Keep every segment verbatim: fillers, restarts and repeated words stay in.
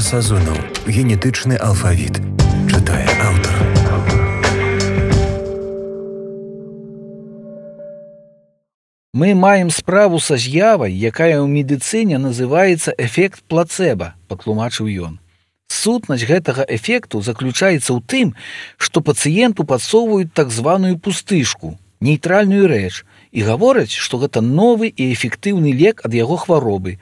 Сазонаў. Генетычны алфавіт. Чытае аўтар. Мы маем справу са з'явай, якая ў медыцыне называецца эфект плацэба, патлумачыў ён. Сутнасць гэтага эфекту заключаецца ў тым, што пацыенту падсоўваюць так званую пустышку, нейтральную рэч, і гавораць, што гэта новы і эфектыўны лек ад яго хваробы.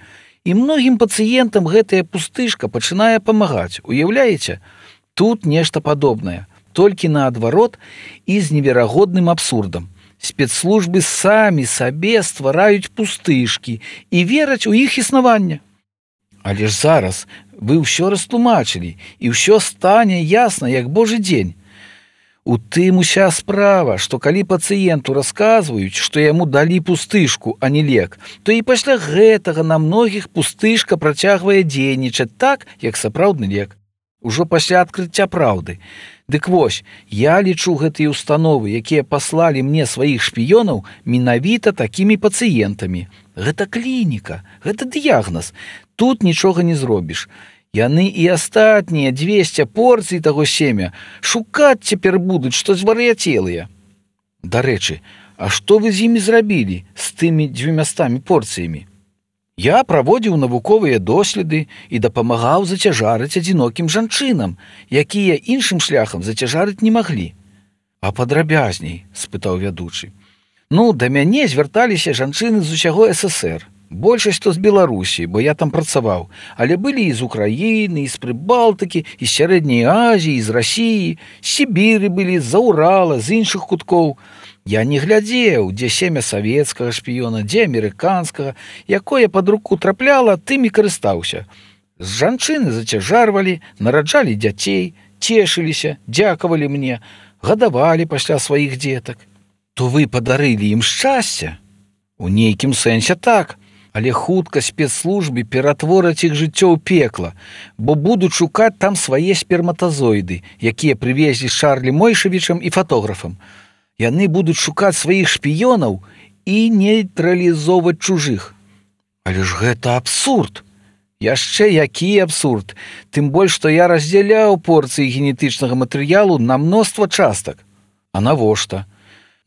І многім пацыентам гэтая пустышка пачынае памагаць. Уяўляеце? Тут нешта падобнае, толькі наадварот і з неверагодным абсурдам. Спецслужбы самі сабе ствараюць пустышкі і вераць у іх існаванне. Але ж зараз вы ўсё растлумачылі, і ўсё стане ясна, як божы дзень. У тым уся справа, што калі пацыенту расказваюць, што яму далі пустышку, а не лек, то і пасля гэтага на многіх пустышка працягвае дзейнічаць так, як сапраўдны лек. Ужо пасля адкрыцця праўды. Дык вось, я лічу гэтыя установы, якія паслалі мне сваіх шпіёнаў, менавіта такімі пацыентамі. Гэта клініка, гэта дыягназ. Тут нічога не зробіш. Яны і астатнія дзвесце порцый таго семя шукаць цяпер будуць, што звар'яцелыя. Дарэчы, а што вы з імі зрабілі, з тымі дзвюмястамі порцыямі? Я праводзіў навуковыя доследы і дапамагаў зацяжарыць адзінокім жанчынам, якія іншым шляхам зацяжарыць не маглі. А падрабязней, спытаў вядучы. Ну, да мяне звярталіся жанчыны з усяго эс эс ер. Большасць то з Беларусі, бо я там працаваў, але былі і з Украіны, і з Прыбалтыкі, і з Сярэдняй Азіі, і з Расіі, з Сібіры былі, з-за Урала, з іншых куткоў. Я не глядзеў, дзе семя савецкага шпіёна, дзе амерыканскага, якое пад руку трапляла, тым і карыстаўся. З жанчыны зацяжарвалі, нараджалі дзяцей, цешыліся, дзякавалі мне, гадавалі пасля сваіх дзетак. То вы падарылі ім шчасце? У нейкім сэнсе так. Але хутка спецслужбы ператвораць іх жыццё ў пекла, бо будуць шукаць там свае сперматазоіды, якія прывезлі з Чарлі Мойшавічам і фатографам. Яны будуць шукаць сваіх шпіёнаў і нейтралізоўваць чужых. Але ж гэта абсурд! Яшчэ які абсурд! Тым больш, што я раздзяляў порцыі генетычнага матэрыялу на мноства частак. А навошта?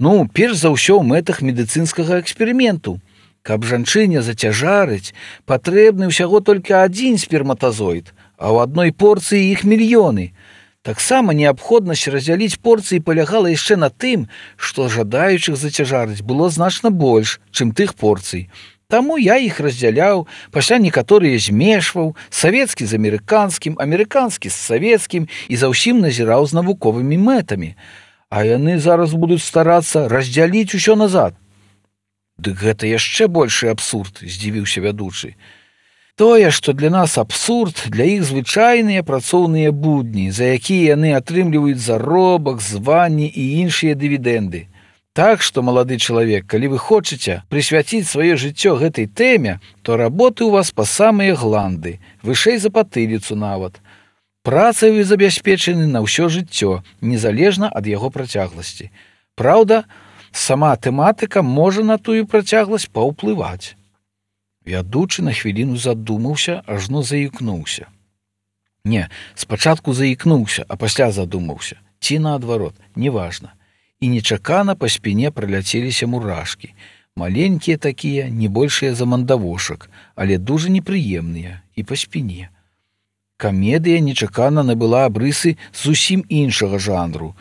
Ну, перш за ўсё ў мэтах медыцынскага эксперыменту. Каб жанчыне зацяжарыць, патрэбны ўсяго толькі адзін сперматазоід, а ў адной порцыі іх мільёны. Таксама неабходнасць раздзяліць порцыі палягала яшчэ на тым, што жадаючых зацяжарыць было значна больш, чым тых порцый. Таму я іх раздзяляў, пасля некаторыя змешваў, савецкі з амерыканскім, амерыканскі з савецкім і за ўсім назіраў з навуковымі мэтамі. А яны зараз будуць старацца раздзяліць усё назад. Дык гэта яшчэ большы абсурд, здзівіўся вядучы. Тое, што для нас абсурд, для іх звычайныя працоўныя будні, за якія яны атрымліваюць заробак, званні і іншыя дывідэнды. Так што, малады чалавек, калі вы хочаце прысвяціць сваё жыццё гэтай тэме, то работы ў вас па самыя гланды, вышэй за патыліцу нават. Працай вы забяспечаны на ўсё жыццё, незалежна ад яго працягласці. Праўда, сама тэматыка можа на тую працягласць паўплываць. Вядучы на хвіліну задумаўся, ажно заікнуўся. Не, спачатку заікнуўся, а пасля задумаўся. Ці наадварот, неважна. І нечакана па спіне праляцеліся мурашкі. Маленькія такія, не большыя за мандавошак, але дужа непрыемныя і па спіне. Камедыя нечакана набыла абрысы зусім іншага жанру.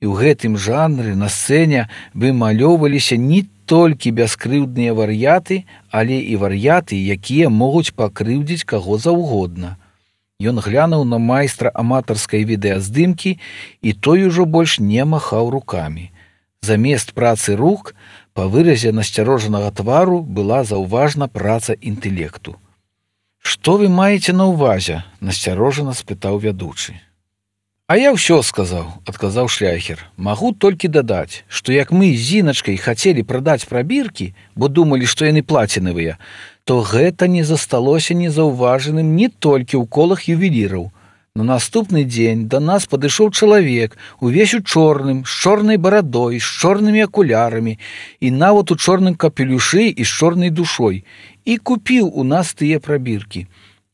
І ў гэтым жанры на сцэне вымалёўваліся не толькі бяскрыўдныя вар'яты, але і вар'яты, якія могуць пакрыўдзіць каго заўгодна. Ён глянуў на майстра аматарскай відэаздымкі, і той ужо больш не махаў рукамі. Замест працы рук, па выразе насцярожанага твару была заўважна праца інтэлекту. «Што вы маеце на ўвазе?» – насцярожана спытаў вядучы. «А я ўсё сказаў», – адказаў шляхер. «Магу толькі дадаць, што як мы з Зіначкай хацелі прадаць прабіркі, бо думалі, што яны плацінавыя, то гэта не засталося незаўважаным не толькі ў колах ювеліраў. На наступны дзень да нас падышоў чалавек, увесь у чорным, з чорнай барадой, з чорнымі акулярамі і нават у чорным капелюшы і з чорнай душой, і купіў у нас тыя прабіркі.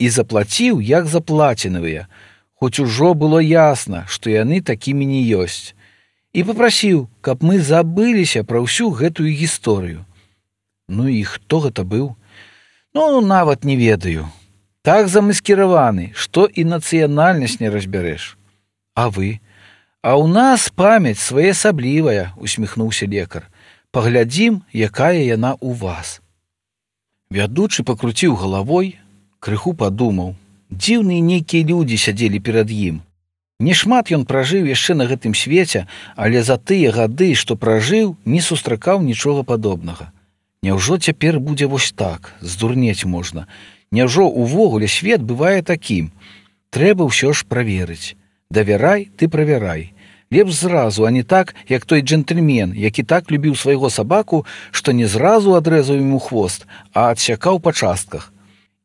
і заплаціў як заплацінавыя, хоць ужо было ясна, што яны такімі не ёсць, і папрасіў, каб мы забыліся пра ўсю гэтую гісторыю. Ну і хто гэта быў? Ну, нават не ведаю. Так замаскіраваны, што і нацыянальнасць не разбярэш. А вы? А ў нас памяць своеасаблівая, усміхнуўся лекар. Паглядзім, якая яна ў вас. Вядучы пакруціў галавой, крыху падумаў. Дзіўныя нейкія людзі сядзелі перад ім. Нешмат ён пражыў яшчэ на гэтым свеце, але за тыя гады, што пражыў, не сустракаў нічога падобнага. Няўжо цяпер будзе вось так, здурнець можна? Няўжо увогуле свет бывае такім? Трэба ўсё ж праверыць. Давярай, ты правярай. Лепш зразу, а не так, як той джентльмен, які так любіў свайго сабаку, што не зразу адрэзаў яму хвост, а адсякаў па частках.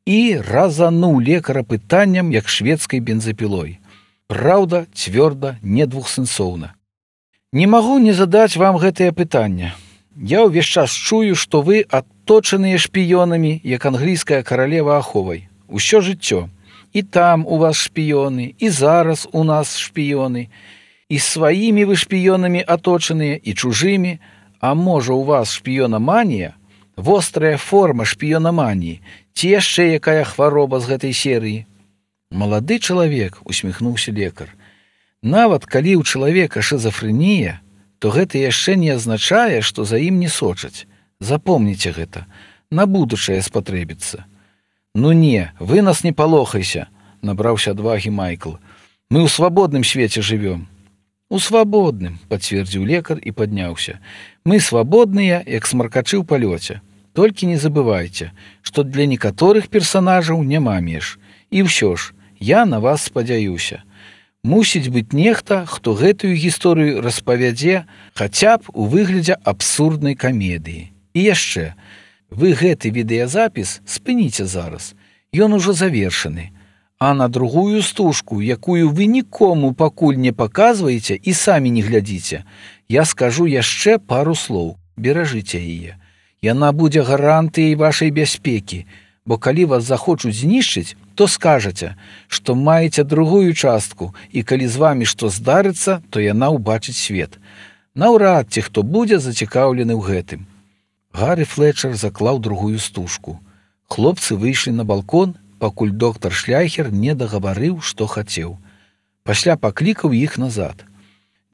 І разануў лекара пытанням, як шведскай бензапілой. Праўда, цвёрда, не двухсэнсоўна. Не магу не задаць вам гэтае пытанне. Я ўвесь час чую, што вы адточаныя шпіёнамі, як англійская каралева аховай. Усё жыццё. І там у вас шпіёны, і зараз у нас шпіёны. І сваімі вы шпіёнамі аточаныя, і чужымі. А можа, у вас шпіёнаманія? Вострая форма шпіёнаманіі. Ці яшчэ якая хвароба з гэтай серыі? Малады чалавек, усміхнуўся лекар. Нават калі ў чалавека шызафрэнія, то гэта яшчэ не азначае, што за ім не сочаць. Запомніце гэта. На будучае спатрэбіцца. Ну не, вы нас не палохайся, набраўся адвагі Майкл. Мы ў свабодным свеце жывём. У свабодным, пацвердзіў лекар і падняўся. Мы свабодныя, як смаркачы ў палёце. Толькі не забывайце, што для некаторых персанажаў няма меж. І ўсё ж, я на вас спадзяюся. Мусіць быць нехта, хто гэтую гісторыю распавядзе хаця б у выглядзе абсурднай камедыі. І яшчэ, вы гэты відэазапіс спыніце зараз. Ён ужо завершаны. А на другую стужку, якую вы нікому пакуль не паказваеце і самі не глядзіце, я скажу яшчэ пару слоў. Беражыце яе. Яна будзе гарантыяй вашай бяспекі, бо калі вас захочуць знішчыць, то скажаце, што маеце другую частку, і калі з вамі што здарыцца, то яна ўбачыць свет. Наўрад ці хто будзе зацікаўлены ў гэтым. Гары Флетчер заклаў другую стужку. Хлопцы выйшлі на балкон, пакуль доктар Шляйхер не дагаварыў, што хацеў. Пасля паклікаў іх назад.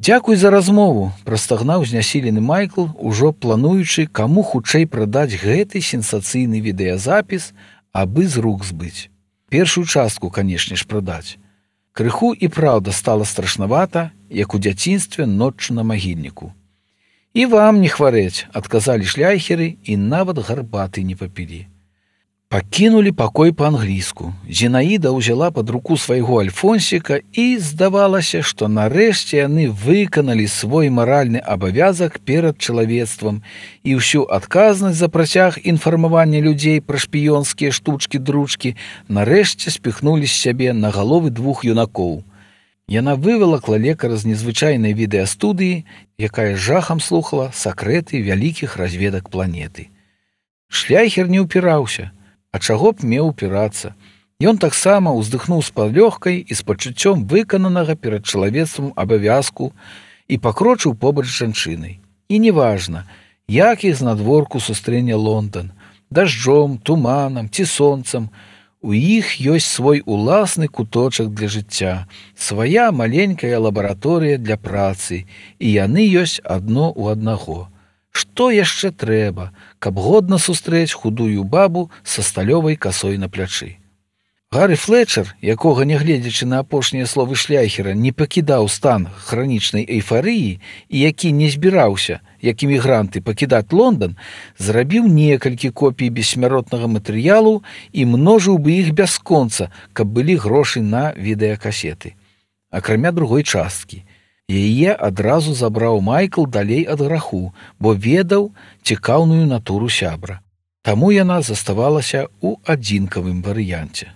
Дзякуй за размову, прастагнаў знясілены Майкл, ужо плануючы, каму хутчэй прадаць гэты сенсацыйны відэазапіс, абы з рук збыць. Першую частку, канешне ж, прадаць. Крыху і праўда стала страшнавата, як у дзяцінстве ноччу на магільніку. І вам не хварэць, адказалі шляйхеры, і нават гарбаты не папілі. Пакінулі пакой па-англійску. Зінаіда ўзяла пад руку свайго Альфонсіка і здавалася, што нарэшце яны выканалі свой маральны абавязак перад чалавецтвам і ўсю адказнасць за працяг інфармавання людзей пра шпіёнскія штучкі-дручкі нарэшце спіхнулі з сябе на галовы двух юнакоў. Яна вывалакла лекара з незвычайнай відэастудыі, якая жахам слухала сакрэты вялікіх разведак планеты. Шляйхер не ўпіраўся. А чаго б меў упірацца? Ён таксама ўздыхнуў з палёгкай і з пачуццём выкананага перад чалавецтвам абавязку і пакрочыў побач з жанчынай. І неважна, як іх знадворку сустрэне Лондан, дажджом, туманам ці сонцам, у іх ёсць свой уласны куточак для жыцця, свая маленькая лабараторыя для працы, і яны ёсць адно ў аднаго. Што яшчэ трэба, каб годна сустрэць худую бабу са сталёвай касой на плячы? Гары Флетчер, якога, нягледзячы на апошнія словы шляйхера, не пакідаў стан хранічнай эйфарыі і які не збіраўся, як эмігранты, пакідаць Лондан, зрабіў некалькі копій бессмяротнага матэрыялу і множыў бы іх бясконца, каб былі грошы на відэакасеты. Акрамя другой часткі. Яе адразу забраў Майкл далей ад граху, бо ведаў цікаўную натуру сябра. Таму яна заставалася ў адзінкавым варыянце.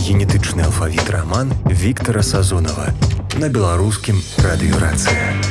Генетычны алфавіт раман Віктара Сазонава на беларускім радыёрацыя.